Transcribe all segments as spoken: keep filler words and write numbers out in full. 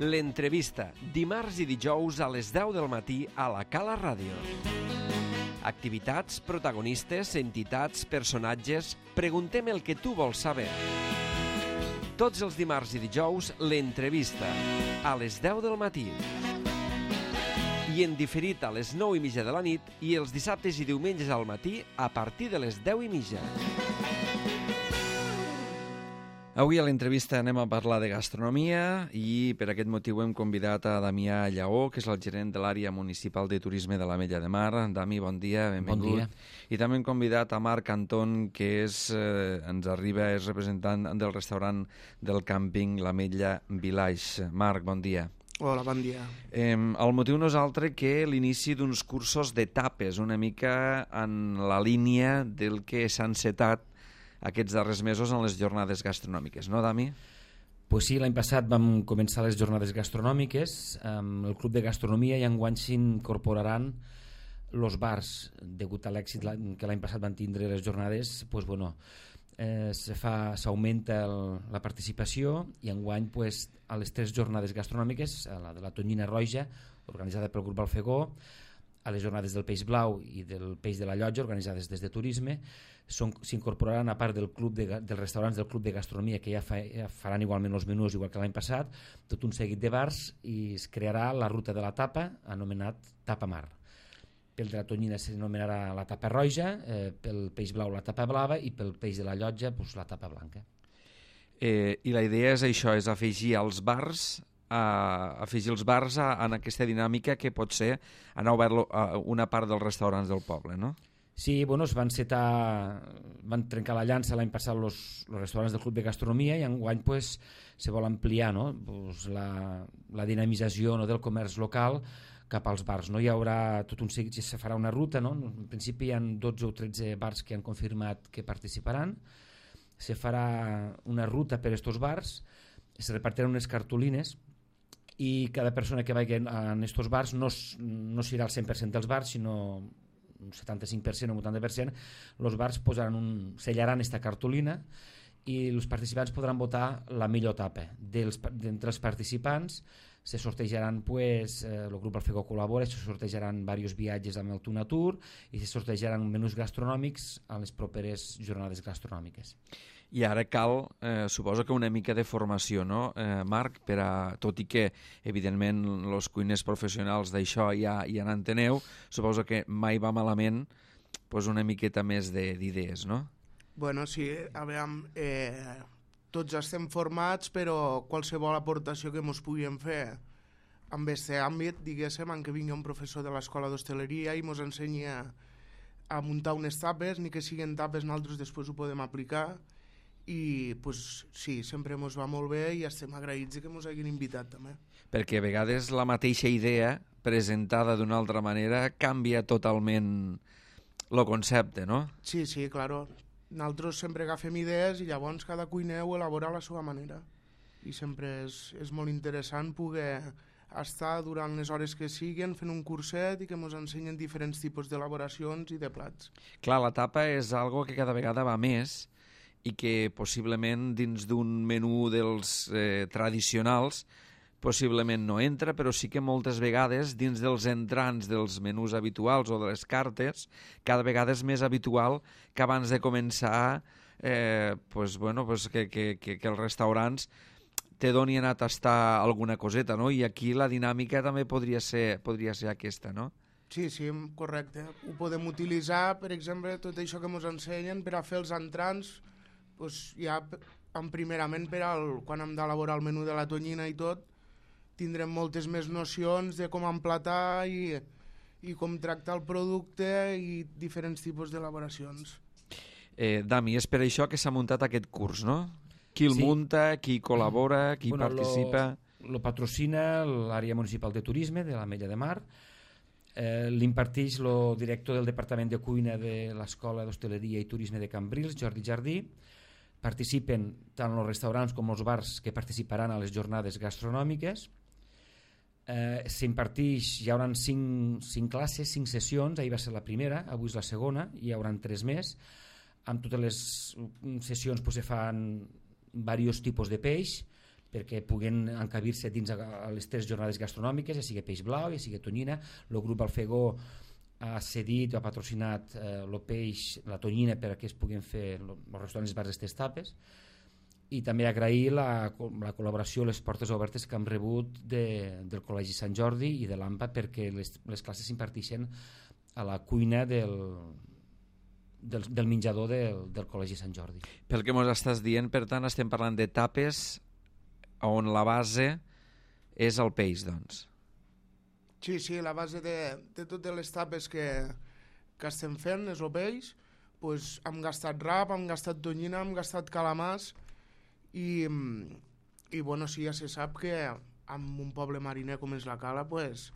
L'entrevista, dimarts i dijous a les deu del matí a la Cala Ràdio. Activitats, protagonistes, entitats, personatges... Preguntem el que tu vols saber. Tots els dimarts i dijous, l'entrevista, a les deu del matí. I en diferit a les nou i mitja de la nit i els dissabtes i diumenges al matí a partir de les deu i mitja. Avui a l'entrevista anem a parlar de gastronomia i per aquest motiu hem convidat a Damià Lleó, que és el gerent de l'àrea municipal de turisme de l'Ametlla de Mar. Dami, bon dia, benvingut. Bon dia. I també hem convidat a Marc Anton, que és, eh, ens arriba, és representant del restaurant del càmping l'Ametlla Village. Marc, bon dia. Hola, bon dia. Eh, el motiu no és altre que l'inici d'uns cursos de tapes, una mica en la línia del que s'ha encetat aquests darrers mesos en les jornades gastronòmiques, no, Dami? Pues sí, l'any passat vam començar les jornades gastronòmiques amb el Club de Gastronomia i enguany s'incorporaran els bars. Degut a l'èxit que l'any passat van tindre les jornades, pues, bueno, eh, se fa, s'augmenta el, la participació i enguany pues, a les tres jornades gastronòmiques, a la de la Tonyina Roja, organitzada pel grup Balfegó, a les jornades del Peix Blau i del Peix de la Llotja, organitzades des de Turisme, s'incorporaran a part del club de, dels restaurants del Club de Gastronomia, que ja, fa, ja faran igualment els menús igual que l'any passat, tot un seguit de bars, i es crearà la ruta de la tapa, anomenat Tapa Mar. Pel de la Tonyina s'anomenarà la Tapa Roja, eh, pel Peix Blau la Tapa Blava i pel Peix de la Llotja pues, la Tapa Blanca. Eh, I la idea és això, és afegir als bars a afegir els bars a, en aquesta dinàmica que pot ser anar obert a una part dels restaurants del poble, no? Sí, bueno, es van setar, van trencar la llança l'any passat els restaurants del Club de Gastronomia i enguany pues, se vol ampliar, no? Pues, la, la dinamització, no, del comerç local cap als bars. No? Hi haurà tot un seguit, se farà una ruta, no? En principi hi ha dotze o tretze bars que han confirmat que participaran, se farà una ruta per aquests bars, es repartiran unes cartolines i cada persona que vagi en aquests bars no, no serà el cent per cent dels bars, sinó un setanta-cinc per cent o un vuitanta per cent. Els bars posaran un, sellaran aquesta cartolina i els participants podran votar la millor tapa. D'entre els participants se sortejaran, pues, eh, el grup Alfegó col·labora, se sortejaran diversos viatges amb el Tuna Tour i se sortejaran menús gastronòmics a les properes jornades gastronòmiques. I ara cal, eh, suposo que una mica de formació, no, eh, Marc? Per a, tot i que, evidentment, els cuiners professionals d'això ja, ja n'enteneu, suposo que mai va malament pues, una miqueta més d'idees, no? Bueno, sí, a veure, eh, tots estem formats, però qualsevol aportació que ens puguem fer en aquest àmbit, diguéssim, en què vingui un professor de l'escola d'hostaleria i ens ensenyi a, a muntar unes tapes, ni que siguin tapes, nosaltres després ho podem aplicar. I pues, sí, sempre ens va molt bé i estem agraïts que ens hagin invitat també. Perquè a vegades la mateixa idea presentada d'una altra manera canvia totalment el concepte, no? Sí, sí, claro. Nosaltres sempre agafem idees i llavors cada cuiner ho elabora a la seva manera i sempre és, és molt interessant poder estar durant les hores que siguin fent un curset i que ens ensenyen diferents tipus d'elaboracions i de plats. Clar, la tapa és algo que cada vegada va més i que possiblement dins d'un menú dels eh, tradicionals possiblement no entra, però sí que moltes vegades dins dels entrants dels menús habituals o de les cartes, cada vegada és més habitual que abans de començar eh, pues, bueno, pues que, que, que, que els restaurants te donin a tastar alguna coseta, no? I aquí la dinàmica també podria ser, podria ser aquesta, no? Sí, sí, correcte. Ho podem utilitzar, per exemple, tot això que ens ensenyen per a fer els entrants, pues ja en primerament per al, quan hem d'elaborar el menú de la tonyina i tot, tindrem moltes més nocions de com emplatar i, i com tractar el producte i diferents tipus d'elaboracions. Eh, Dami, és per això que s'ha muntat aquest curs, no? Qui el sí. munta, qui col·labora, qui bueno, participa... Lo, lo patrocina l'àrea municipal de turisme de l'Ametlla de Mar, eh, l'imparteix el director del Departament de Cuina de l'Escola d'Hostaleria i Turisme de Cambrils, Jordi Jardí. Participen tant els restaurants com els bars que participaran a les jornades gastronòmiques. Eh, s'imparteix, hi haurà cinc, cinc classes, cinc sessions, ahir va ser la primera, avui és la segona, i hi haurà tres més. Amb totes les sessions pues, se fan diversos tipus de peix perquè puguen encabir-se dins a les tres jornades gastronòmiques, ja sigui peix blau, ja sigui tonyina. El grup Alfegó ha cedit o ha patrocinat eh, el peix, la tonyina, perquè es puguin fer els restaurants i bars d'aquestes tapes. I també agrair la, la col·laboració, les portes obertes que hem rebut de, del Col·legi Sant Jordi i de l'AMPA, perquè les, les classes s'imparteixen a la cuina del, del, del menjador del, del Col·legi Sant Jordi. Pel que ens estàs dient, per tant, estem parlant de tapes on la base és el peix, doncs. Sí, sí, la base de, de totes les tapes que, que estem fent és el peix. Pues, hem gastat rap, hem gastat tonyina, hem gastat calamars. I, i bueno, sí, ja se sap que en un poble mariner com és la Cala, pues,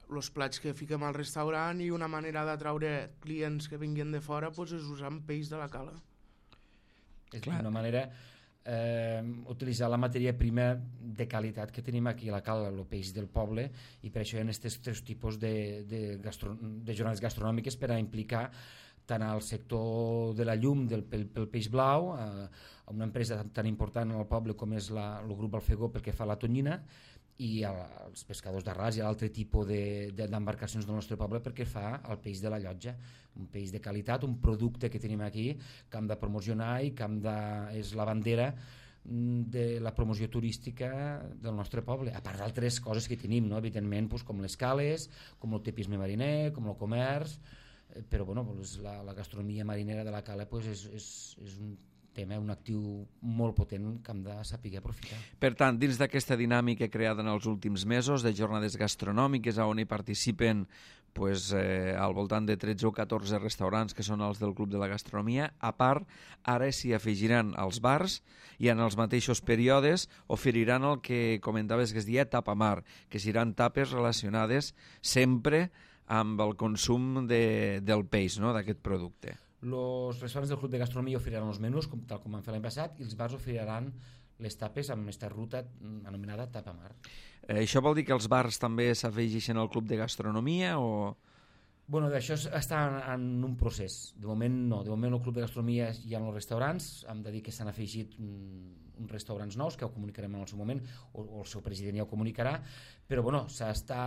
els plats que fiquem al restaurant i una manera d'atraure clients que vinguin de fora pues, és usant peix de la Cala. És Clar. una manera eh, utilitzar la matèria prima de qualitat que tenim aquí a la Cala, el peix del poble, i per això hi ha aquests tres tipus de, de, gastro, de jornades gastronòmiques per a implicar tant al sector de la llum del, pel, pel peix blau, a, a una empresa tan, tan important al poble com és la, el grup Alfegó perquè fa la tonyina, i a, als pescadors d'arràs i a l'altre tipus d'embarcacions de, del nostre poble perquè fa el peix de la llotja, un peix de qualitat, un producte que tenim aquí que hem de promocionar i que hem de, és la bandera de la promoció turística del nostre poble, a part d'altres coses que tenim, no? Evidentment, doncs, com les cales, com el tepisme mariner, com el comerç, però bueno, doncs la, la gastronomia marinera de la Cala doncs és, és, és un tema, un actiu molt potent que hem de saber aprofitar. Per tant, dins d'aquesta dinàmica creada en els últims mesos de jornades gastronòmiques on hi participen pues, eh, al voltant de tretze o catorze restaurants que són els del Club de la Gastronomia, a part, ara s'hi afegiran els bars i en els mateixos períodes oferiran el que comentaves que es deia tapamar, que seran tapes relacionades sempre amb el consum de, del peix, no?, d'aquest producte. Els restaurants del Club de Gastronomia oferiran els menús, com, tal com han fet l'any passat, i els bars oferiran les tapes amb aquesta ruta anomenada tapamar. Eh, això vol dir que els bars també s'afegeixen al Club de Gastronomia o...? Bueno, això està en, en un procés. De moment no. De moment el Club de Gastronomia hi ha els restaurants. Hem de dir que s'han afegit uns restaurants nous que ho comunicarem en el seu moment, o, o el seu president ja ho comunicarà, però bueno, s'està...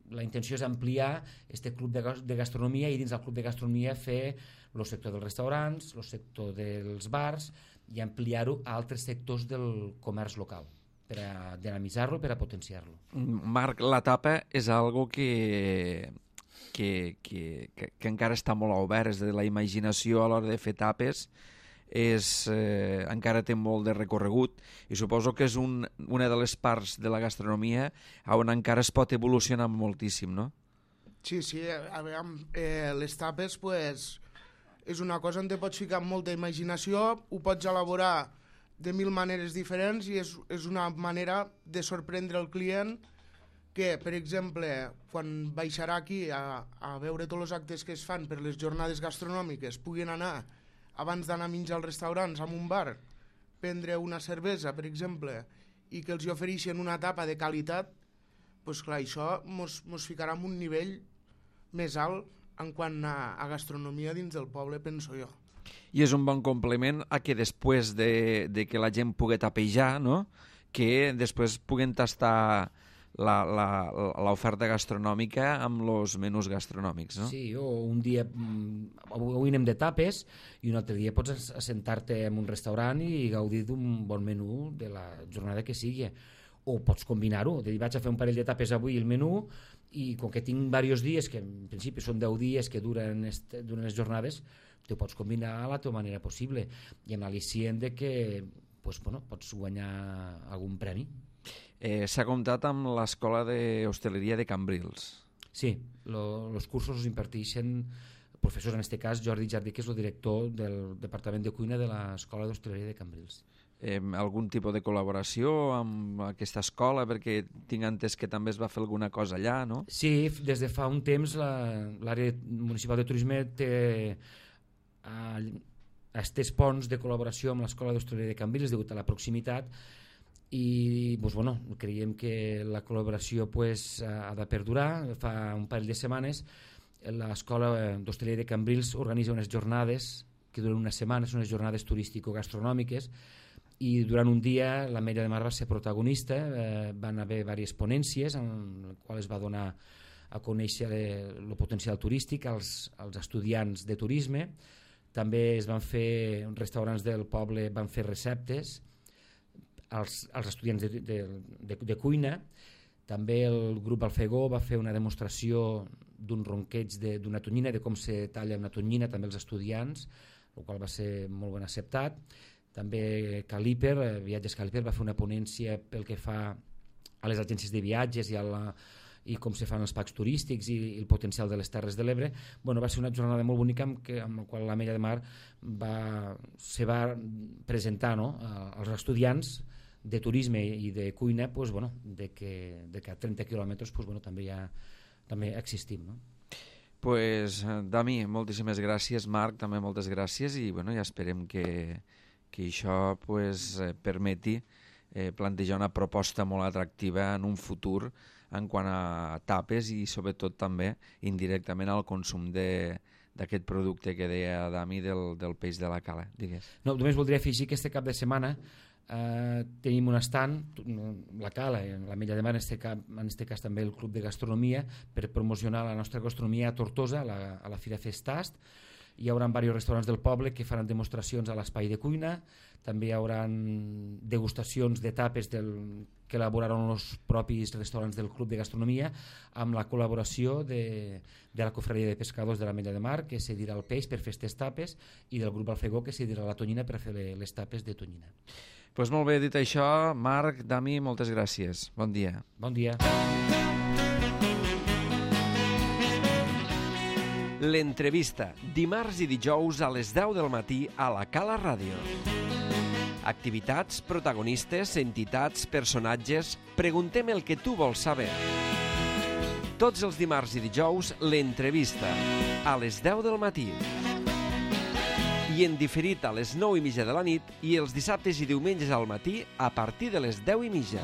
La intenció és ampliar aquest club de gastronomia i dins del club de gastronomia fer el sector dels restaurants, el sector dels bars i ampliar-ho a altres sectors del comerç local per a dinamitzar-lo i per a potenciar-lo. Marc, la tapa és algo que, que, que, que, que encara està molt obert, és de la imaginació a l'hora de fer tapes és, eh, encara té molt de recorregut i suposo que és un, una de les parts de la gastronomia on encara es pot evolucionar moltíssim, no? Sí, sí, a veure, eh, les tapes pues, és una cosa on te pots ficar amb molta imaginació, ho pots elaborar de mil maneres diferents i és, és una manera de sorprendre el client que, per exemple, quan baixarà aquí a, a veure tots els actes que es fan per les jornades gastronòmiques puguin anar abans d'anar a menjar als restaurants, en un bar, prendre una cervesa, per exemple, i que els hi ofereixen una tapa de qualitat, doncs clar, això mos, mos ficarà en un nivell més alt en quant a, a gastronomia dins del poble, penso jo. I és un bon complement a que després de, de que la gent pugui tapejar, no?, que després puguen tastar l'oferta gastronòmica amb els menús gastronòmics, no? Sí, o un dia avui anem de tapes i un altre dia pots assentar-te en un restaurant i gaudir d'un bon menú de la jornada que sigui, o pots combinar-ho, de dir vaig a fer un parell de tapes avui el menú i com que tinc diversos dies, que en principi són deu dies que duren, este, duren les jornades, te ho pots combinar a la teva manera possible i amb l'al·licient de que pues, bueno, pots guanyar algun premi. Eh, S'ha comptat amb l'Escola d'Hostaleria de Cambrils. Sí, els cursos els imparteixen professors, en aquest cas Jordi Jardí, que és el director del Departament de Cuina de l'Escola d'Hostaleria de Cambrils. Eh, algun tipus de col·laboració amb aquesta escola, perquè tinc entès que també es va fer alguna cosa allà, no? Sí, des de fa un temps l'àrea municipal de turisme té aquests ponts de col·laboració amb l'Escola d'Hostaleria de Cambrils degut a la proximitat i doncs, bueno, creiem que la col·laboració pues, ha de perdurar. Fa un parell de setmanes l'Escola d'Hostaleria de Cambrils organitza unes jornades que duren una setmana, són unes jornades turístico-gastronòmiques, i durant un dia l'Ametlla de Mar va ser protagonista, eh, van haver diverses ponències en les quals es va donar a conèixer el potencial turístic als, als estudiants de turisme. També es van fer, restaurants del poble van fer receptes als, als estudiants de, de, de, de cuina. També el grup Alfegó va fer una demostració d'un ronqueig d'una tonyina, de com se talla una tonyina també als estudiants, el qual va ser molt ben acceptat. També Caliper, Viatges Caliper, va fer una ponència pel que fa a les agències de viatges i, a la, i com se fan els packs turístics i, i el potencial de les Terres de l'Ebre. Bueno, va ser una jornada molt bonica amb, que, amb la qual l'Ametlla de Mar va, se va presentar, no?, als estudiants de turisme i de cuina, pues, bueno, de, que, de que a trenta quilòmetres pues, bueno, també, ja, també existim. No? Pues, Dami, moltíssimes gràcies. Marc, també moltes gràcies i bueno, ja esperem que, que això pues, permeti eh, plantejar una proposta molt atractiva en un futur en quant a tapes i sobretot també indirectament al consum de d'aquest producte que deia Dami del, del peix de la cala. Digues. No, només voldria afegir que este cap de setmana eh, tenim un estand, la cala, l'Ametlla de Mar, en este, cap, en este cas també el Club de Gastronomia, per promocionar la nostra gastronomia a Tortosa, a la, a la Fira Festast. Hi haurà diversos restaurants del poble que faran demostracions a l'espai de cuina, també hi haurà degustacions d'etapes del, que elaboraran els propis restaurants del Club de Gastronomia amb la col·laboració de, de la Cofradia de Pescadors de l'Ametlla de Mar, que cedirà el peix per fer aquestes tapes, i del grup Alfegó, que cedirà la tonyina per fer les tapes de tonyina. Pues molt bé, dit això, Marc, Dami, moltes gràcies. Bon dia. Bon dia. L'entrevista, dimarts i dijous a les deu del matí a la Cala Ràdio. Activitats, protagonistes, entitats, personatges... Preguntem el que tu vols saber. Tots els dimarts i dijous, l'entrevista, a les deu del matí. I en diferit a les nou i mitja de la nit i els dissabtes i diumenges al matí a partir de les deu i mitja.